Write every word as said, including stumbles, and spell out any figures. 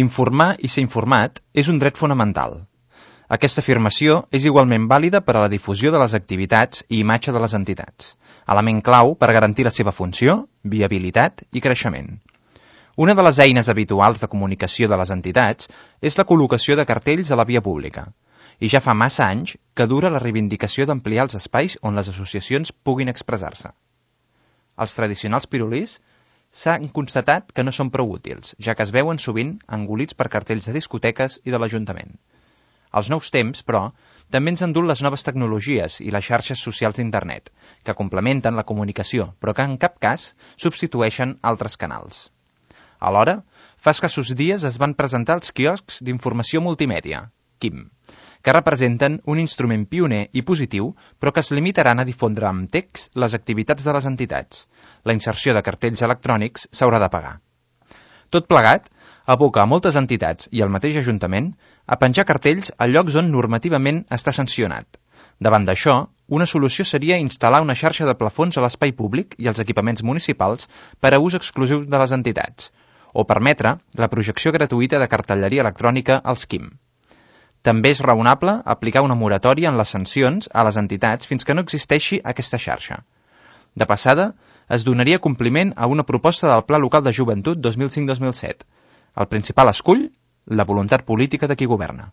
Informar i ser informat és un dret fonamental. Aquesta afirmació és igualment vàlida per a la difusió de les activitats i imatge de les entitats, element clau per garantir la seva funció, viabilitat i creixement. Una de les eines habituals de comunicació de les entitats és la col·locació de cartells a la via pública, i ja fa massa anys que dura la reivindicació d'ampliar els espais on les associacions puguin expressar-se. Els tradicionals pirulís s'han constatat que no són prou útils, ja que es veuen sovint engolits per cartells de discoteques i de l'Ajuntament. Els nous temps, però, també ens han dut les noves tecnologies i les xarxes socials d'internet, que complementen la comunicació, però que en cap cas substitueixen altres canals. Alhora, fa escassos dies es van presentar els quioscs d'informació multimèdia, Q I M, que representen un instrument pioner i positiu, però que es limitaran a difondre amb text les activitats de les entitats. La inserció de cartells electrònics s'haurà de pagar. Tot plegat aboca a moltes entitats i al mateix Ajuntament a penjar cartells a llocs on normativament està sancionat. Davant d'això, una solució seria instal·lar una xarxa de plafons a l'espai públic i als equipaments municipals per a ús exclusiu de les entitats, o permetre la projecció gratuïta de cartelleria electrònica als Q I M. També és raonable aplicar una moratòria en les sancions a les entitats fins que no existeixi aquesta xarxa. De passada, es donaria compliment a una proposta del Pla Local de Joventut dos mil cinc dos mil set. El principal escull, la voluntat política de qui governa.